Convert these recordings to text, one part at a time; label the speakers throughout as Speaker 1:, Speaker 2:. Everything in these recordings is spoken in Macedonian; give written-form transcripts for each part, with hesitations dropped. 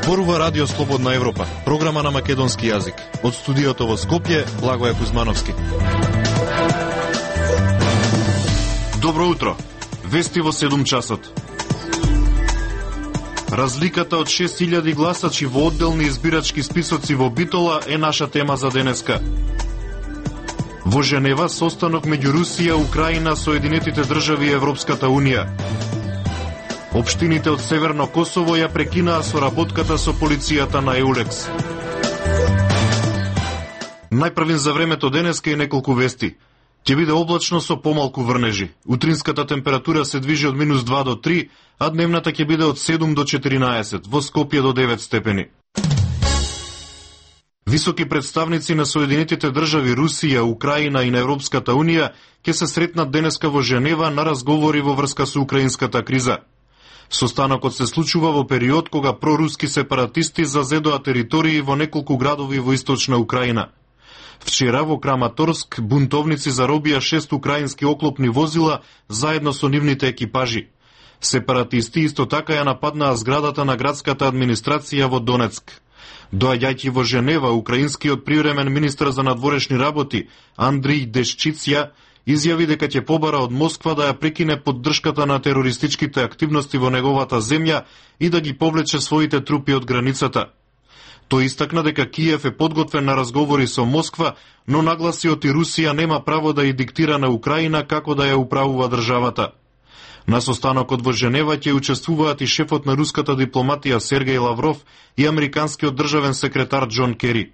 Speaker 1: Зборува Радио Слободна Европа, програма на македонски јазик. Од студиото во Скопје, Благоје Кузмановски. Добро утро. Вести во 7 часот. Разликата од 6000 гласачи во одделни избирачки списоци во Битола е наша тема за денеска. Во Женева состанок меѓу Русија, Украина, Соединетите држави и Европската Унија. Општините од Северно Косово ја прекинаа соработката со полицијата на Еулекс. Најпрвин за времето денеска и неколку вести. Ќе биде облачно со помалку врнежи. Утринската температура се движи од -2 до 3, а дневната ќе биде од 7 до 14, во Скопје до 9 степени. Високи представници на Соединетите држави, Русија, Украина и на Европската Унија ќе се сретнат денеска во Женева на разговори во врска со украинската криза. Состанокот се случува во период кога проруски сепаратисти зазедоа територии во неколку градови во источна Украина. Вчера во Краматорск бунтовници заробија 6 украински оклопни возила заедно со нивните екипажи. Сепаратисти исто така ја нападнаа зградата на градската администрација во Донецк. Доаѓајќи во Женева, украинскиот привремен министар за надворешни работи Андрей Дешчица изјави дека ќе побара од Москва да ја прекине поддршката на терористичките активности во неговата земја и да ги повлече своите трупи од границата. Тој истакна дека Киев е подготвен на разговори со Москва, но нагласи оти Русија нема право да ја диктира на Украина како да ја управува државата. На состанокот во Женева ќе учествуваат и шефот на руската дипломатија Сергеј Лавров и американскиот државен секретар Џон Кери.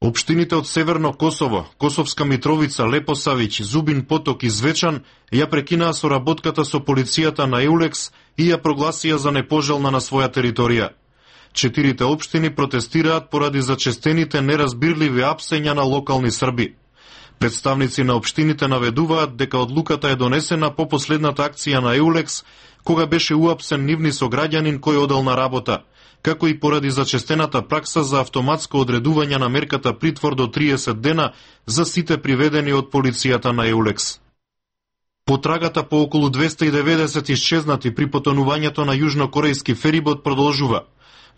Speaker 1: Општините од Северно Косово, Косовска Митровица, Лепосавиќ, Зубин Поток и Звечан ја прекинаа соработката со полицијата на Еулекс и ја прогласија за непожелна на своја територија. 4 општини протестираат поради зачестените неразбирливи апсења на локални срби. Представници на општините наведуваат дека одлуката е донесена по последната акција на Еулекс, кога беше уапсен нивни сограѓанин кој одел на работа, како и поради зачестената пракса за автоматско одредување на мерката притвор до 30 дена за сите приведени од полицијата на Еулекс. Потрагата по околу 290 исчезнати при потонувањето на јужнокорејски ферибот продолжува.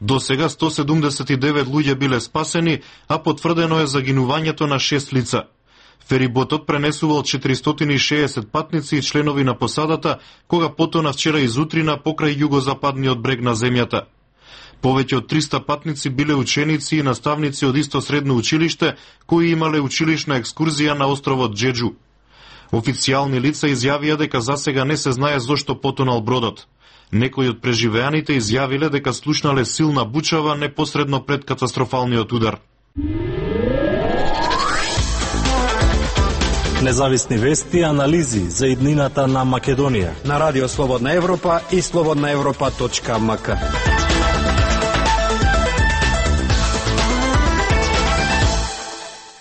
Speaker 1: До сега 179 луѓе биле спасени, а потврдено е загинувањето на 6 лица. Фериботот пренесувал 460 патници и членови на посадата, кога потона вчера изутрина покрај југозападниот брег на земјата. Повеќе од 300 патници биле ученици и наставници од исто средно училиште, кои имале училишна екскурзија на островот Џеџу. Официјални лица изјавија дека засега не се знае зошто потонал бродот. Некои од преживеаните изјавиле дека слушнале силна бучава непосредно пред катастрофалниот удар.
Speaker 2: Независни вести и анализи за иднината на Македонија
Speaker 3: на Радио Слободна Европа и slobodnaevropa.mk.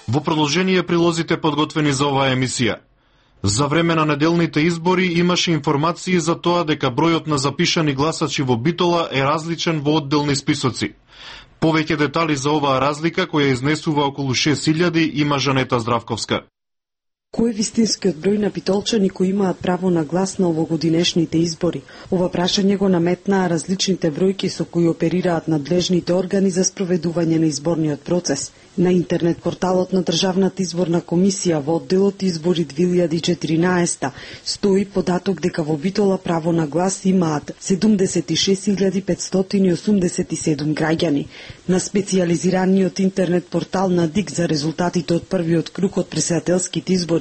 Speaker 1: Во продолжение прилозите подготвени за оваа емисија. За време на неделните избори имаше информации за тоа дека бројот на запишани гласачи во Битола е различен во одделни списоци. Повеќе детали за оваа разлика, која изнесува околу 6000, има Жанета Здравковска.
Speaker 4: Кој е вистинскиот број на битолчани кои имаат право на глас на овогодинешните избори? Ова прашање го наметнаа различните бројки со кои оперираат надлежните органи за спроведување на изборниот процес. На интернет порталот на Државната изборна комисија во одделот Избори 2014 стои податок дека во Битола право на глас имаат 76.587 граѓани. На специјализираниот интернет портал на ДИК за резултатите од првиот круг од претседателските избори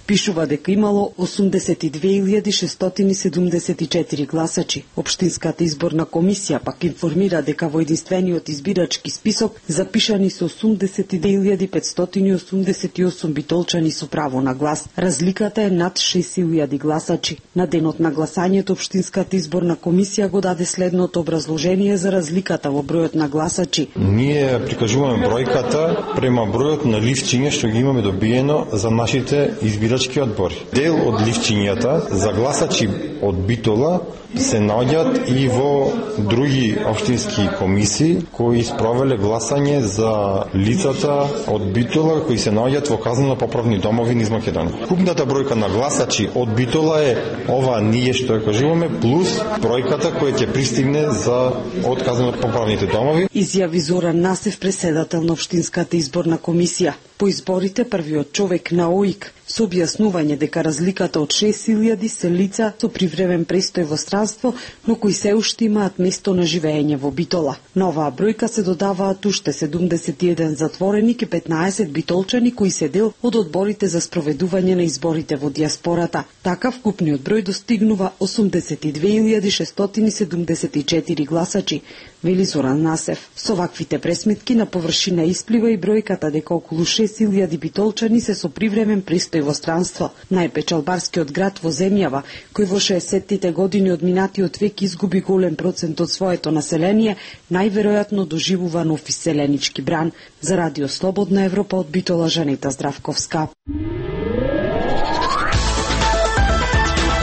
Speaker 4: пишува дека имало 82.674 гласачи. Општинската изборна комисија пак информира дека во единствениот избирачки список запишани со 82.588 битолчани со право на глас. Разликата е над 6.000 гласачи. На денот на гласањето Општинската изборна комисија го даде следното образложение за разликата во бројот на гласачи.
Speaker 5: Ние прикажуваме бројката према бројот на листчиња што ги имаме добиено за нашите е избирачки одбор. Дел од листињата за гласачи од Битола се наоѓаат и во други општински комисии кои спровеле гласање за лицата од Битола кои се наоѓаат во казнено-поправни домови низ Македонија. Купната бројка на гласачи од Битола е ова ние што ја кажуваме плюс бројката која ќе пристигне за од казнено-поправните домови.
Speaker 4: Изјави Зоран Насев, преседател на општинската изборна комисија. По изборите првиот човек на ОИК со објаснување дека разликата од 6000 се лица со привремен престој во странство, но кои се уште имаат место на живеење во Битола. На оваа бројка се додаваат уште 71 затворени и 15 битолчани кои се дел од одборите за спроведување на изборите во диаспората. Така вкупниот број достигнува 82.674 гласачи, вели Зоран Насев. Со ваквите пресметки на површина исплива и бројката дека околу 6000 битолчани се со привремен престој во странство. Најпечалбарскиот град во земјава, кој во 60-тите години од минатиот век изгуби голем процент од своето население, најверојатно доживува нов иселенички бран. За Радио Слободна Европа од Битола, Жанета Здравковска.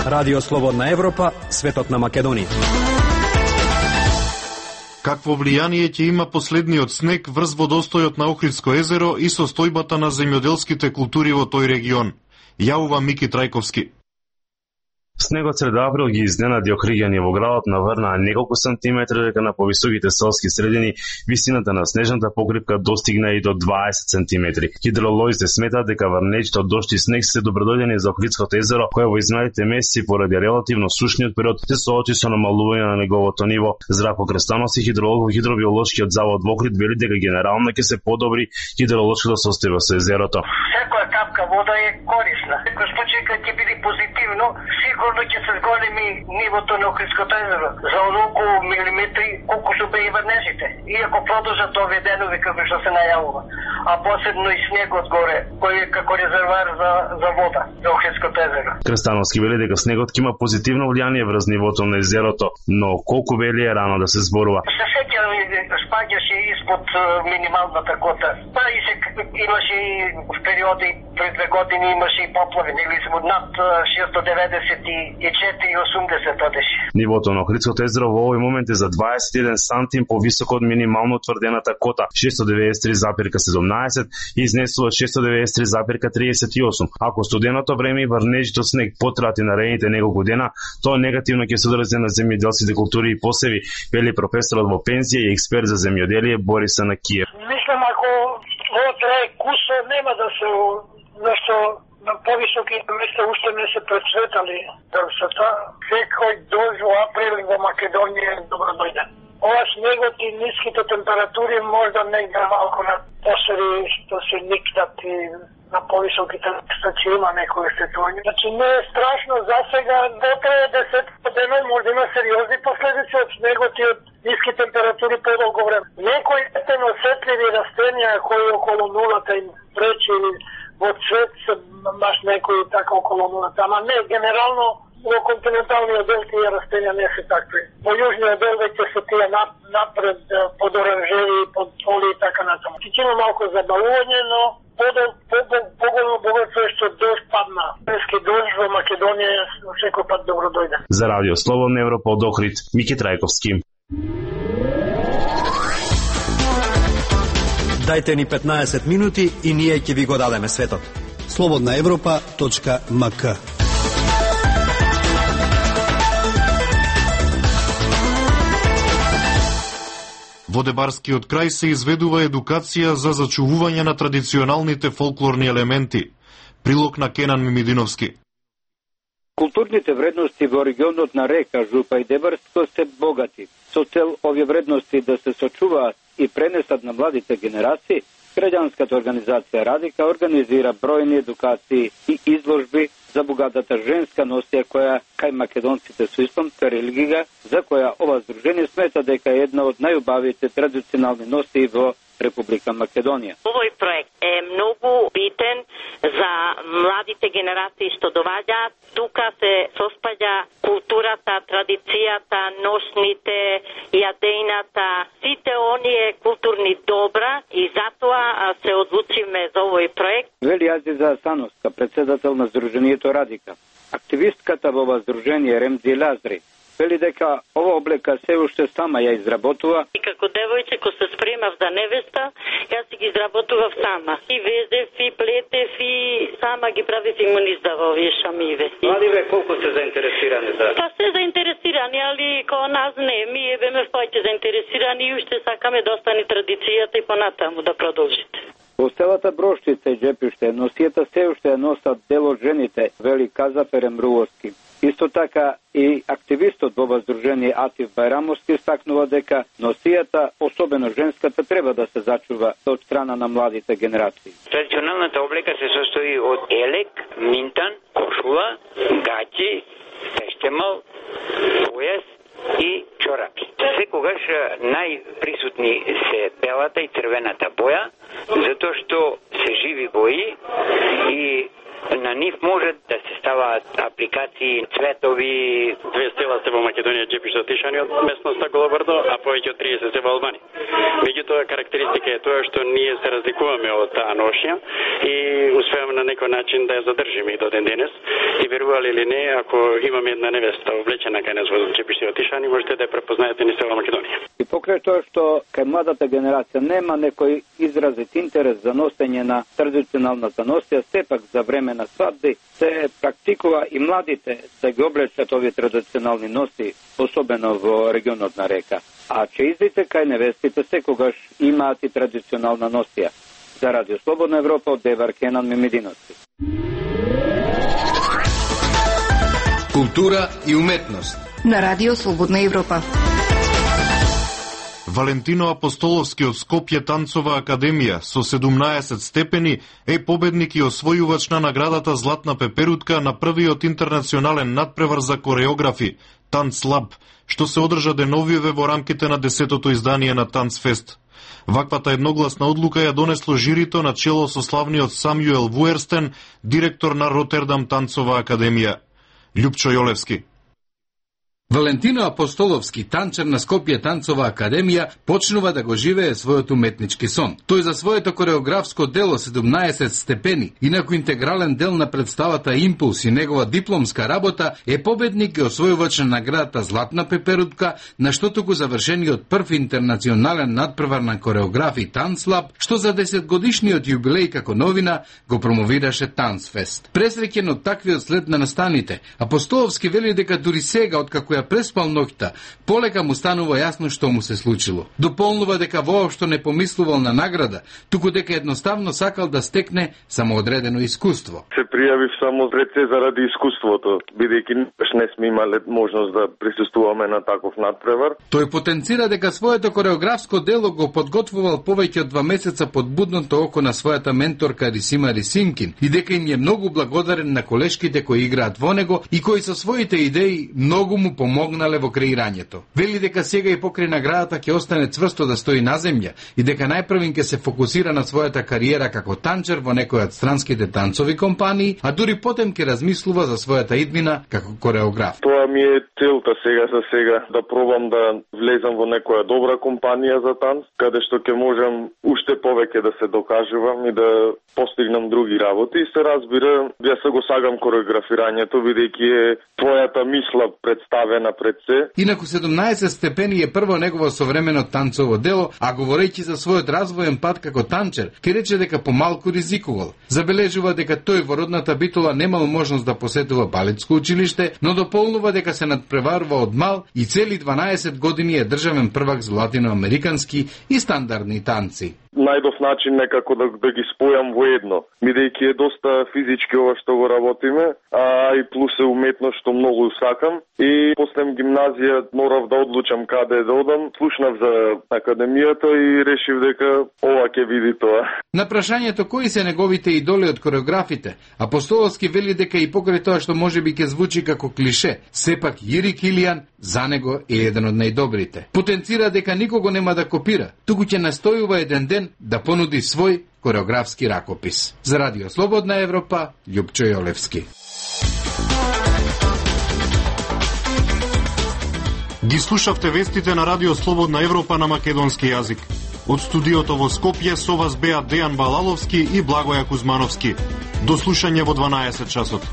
Speaker 3: Радио Слободна Европа, светот на Македонија.
Speaker 1: Какво влијание ќе има последниот снег врз водостојот на Охридско езеро и состојбата на земјоделските култури во тој регион? Јавува Мики Трајковски.
Speaker 6: Снегот среда април ги изненади охриѓани во градот, наврнаа неколку сантиметри, дека на повисоките селски средини висината на снежната покривка достигна и до 20 сантиметри. Хидролозите сметаат дека врнечите од дожд и снег се добродојдени за Охридското езеро, кое во изминалите месеци поради релативно сушниот период се соочи со намалување на неговото ниво. Здравко Крестановски, хидролог во хидробиолошкиот завод во Охрид, вели дека генерално ќе се подобри хидролошкото состојба со езерото.
Speaker 7: Секоја капка вода е корисна. Некој случај кога ќе биде позитивно, сигурно ќе се зголеми нивото на Охридското езеро за околу милиметри колку што беа и врнежите. Иако продолжат овие денови како што се најавува, а посебно и снегот горе, кој е како резервоар за вода за Охридското езеро.
Speaker 6: Крестановски вели дека снегот ќе има позитивно влијание врз нивото на езерото, но колку вели е рано да се зборува.
Speaker 7: Се сеќам, спаѓаше испод минималната кота. Па и се имаше и в периоди пред 2 години имаше и поплави, нели се над 694,80 одеше.
Speaker 6: Нивото на Охридското езеро во овој момент е за 21 сантим повисоко од минимално утврдената кота 693,17 и изнесува 693,38. Ако студеното време и врнежито снег потраат и наредните неколку дена, тоа негативно ќе се одрази на земјоделските култури и посеви, вели професорот во пензија и експерт за земјоделие Борис Анакиев.
Speaker 7: Мислам, ако ова трае кусо, нема да се зашто на повисоки места уште не се прецветали дрвцата. Секој дожд во април во Македонија е добродојден. Ова снегот и ниските температури можда не игра малко на посеви што се никнат и на повисоките места ќе има некој сетување. Значи не е страшно за сега, дотрае 10 дена може да има сериозни последици од снегот и од ниски температури подолго време. Некои осетливи растенија кои околу нулата им пречи во цвет се маш некои така околу нулата, ама не, генерално во континенталниот дел тие растенија не се такви. Во јужниот дел веќе се тие напред под оранжери, под поли и така натаму. Ќе има малку забавување, но поголемо богатство е што дожд падна. Прески дожд во Македонија секој пат добро дојде.
Speaker 6: За Радио Слободна Европа од Охрид, Мики Трајковски.
Speaker 3: Дајте ни 15 минути и ние ќе ви го дадеме светот.
Speaker 8: slobodnaevropa.mk.
Speaker 1: Во Дебарскиот крај се изведува едукација за зачувување на традиционалните фолклорни елементи. Прилог на Кенан Мимидиновски.
Speaker 9: Културните вредности во регионот на Река, Жупа и Дебарско се богати. Со цел овие вредности да се сочуваат и пренесат на младите генерации, граѓанската организација Радика организира бројни едукации и изложби за богатата женска носија која кај македонците со исламска религија, за која ова здружение смета дека е една од најубавите традиционални носии во Република Македонија.
Speaker 10: Овој проект е многу битен за младите генерации што доаѓаат. Тука се соспаѓа културата, традицијата, носните, јадејната, сите оние културни добра и затоа затоа се одлучиме за овој проект.
Speaker 9: Вели Азиза Асановска, председател на Сдруженијето Радика. Активистката во ова здружение Ремзи Лазри вели дека ова облека се уште сама ја изработува.
Speaker 10: И како девојче кој се спремав за невеста, јас си ги изработував сама. И везев, и плетев, и сама ги правив и му низдава овие шамиве.
Speaker 9: Младиве колку се заинтересирани за?
Speaker 10: Па се заинтересирани, али као нас не. Ние беме повеќе заинтересирани и уште сакаме да остане традицијата и понатаму да продолжите.
Speaker 9: Во селата Брошчица и Джепиште носијата се уште ја носат дел од жените, вели Казафер Емрувовски. Исто така и активистот во здружение Атив Байрамовски стакнува дека носијата, особено женската, треба да се зачува од страна на младите генерации.
Speaker 8: Традиционалната облека се состои од елек, минтан, кошула, гаќи, пештемал, појас и чорапи. Секогаш најприсутни се белата и црвената боја, затоа што се живи бои и на нив можат да се ставаат апликации, цветови.
Speaker 11: Две села се во Македонија, Джепиште, Тишани од местноста Голобрдо, а повеќе од 30 се во Албанија. Меѓутоа карактеристика е тоа што ние се разликуваме од таа ношја и успеаме на некој начин да ја задржиме и до ден денес. И верували или не, ако имаме една невеста облечена кај нас во Джепиште од Тишани, можете да ја препознаете низ цела Македонија.
Speaker 9: И покрај тоа што кај младата генерација нема некој изразит интерес за носење на традиционалната носија, сепак за време на свадби се практикува и младите да ги облечат овие традиционални носи, особено во регионот на Река. А чеиздите кај невестите секогаш имаат и традиционална носија. За Радио Слободна Европа од Девар Кенан Мемединовски.
Speaker 3: Култура и уметност
Speaker 12: на Радио Слободна Европа.
Speaker 1: Валентино Апостоловски од Скопје танцова академија со 17 степени е победник и освојувач на наградата Златна пеперутка на првиот интернационален надпревар за кореографи Танцлаб, што се одржа деновиве во рамките на 10-тото издание на Танцфест. Ваквата едногласна одлука ја донесло жирито на чело со славниот Самјуел Вуерстен, директор на Ротердам танцова академија. Љупчо Јолевски.
Speaker 13: Валентино Апостоловски, танчар на Скопје танцова академија, почнува да го живее својот уметнички сон. Тој за своето кореографско дело 17 степени, инаку интегрален дел на представата Импулс и негова дипломска работа, е победник и освојувач на наградата Златна пеперутка, на штото го завршениот прв интернационален надпревар на кореографи Танцлаб, што за 10 годишниот јубилеј како новина го промовираше Танцфест. Пресреќен од таквиот след на настаните, Апостоловски вели дека дури сега, откако ја преспал ноќта, полека му станува јасно што му се случило. Дополнува дека воопшто не помислувал на награда, туку дека едноставно сакал да стекне самоодредено искуство.
Speaker 14: Се пријавив само рече заради искуството, бидејќи не сме имале можност да присуствуваме на таков надпревар.
Speaker 13: Тој потенцира дека своето кореографско дело го подготвувал повеќе од 2 месеца под будното око на својата менторка Рисима Рисинкин и дека им е многу благодарен на колешките кои играат во него и кои со своите идеи многу му помогнале во креирањето. Вели дека сега и покрај наградата ќе остане цврсто да стои на земја и дека најпрвин ќе се фокусира на својата кариера како танчер во некој од странските танцови компании, а дури потем ќе размислува за својата иднина како кореограф.
Speaker 14: Тоа ми е целта сега да пробам да влезам во некоја добра компанија за танц, каде што ќе можам уште повеќе да се докажувам и да постигнам други работи. И се разбира, ја се го сагам кореографирањето, бидејќи е твојата мисла представена пред се.
Speaker 13: Инаку 17 степени е прво негово современо танцово дело, а говорејќи за својот развоен пат како танчер, ќе рече дека помалку ризикувал. Забележува дека тој во родната Битола немал можност да посетува балетско училиште, но дополнува дека се надпреварува од мал и цели 12 години е државен првак за латиноамерикански и стандардни танци.
Speaker 14: Најдов начин некако да ги спојам во едно, бидејќи е доста физички ова што го работиме, а и плюс е уметност што многу сакам. И после гимназија морав да одлучам каде да одам, слушнав за академијата и решив дека ова ќе види тоа.
Speaker 13: На прашањето кои се неговите идоли од кореографите, Апостоловски вели дека и покрај тоа што можеби ќе звучи како клише, сепак Јири Килијан за него е еден од најдобрите. Потенцира дека никого нема да копира, туку ќе настојува еден ден да понуди свој кореографски ракопис. За Радио Слободна Европа, Љупчо Јолевски.
Speaker 1: Ги слушавте вестите на Радио Слободна Европа на македонски јазик. Од студиото во Скопје со вас беа Дејан Балаловски и Благоја Кузмановски. До слушање во 12 часот.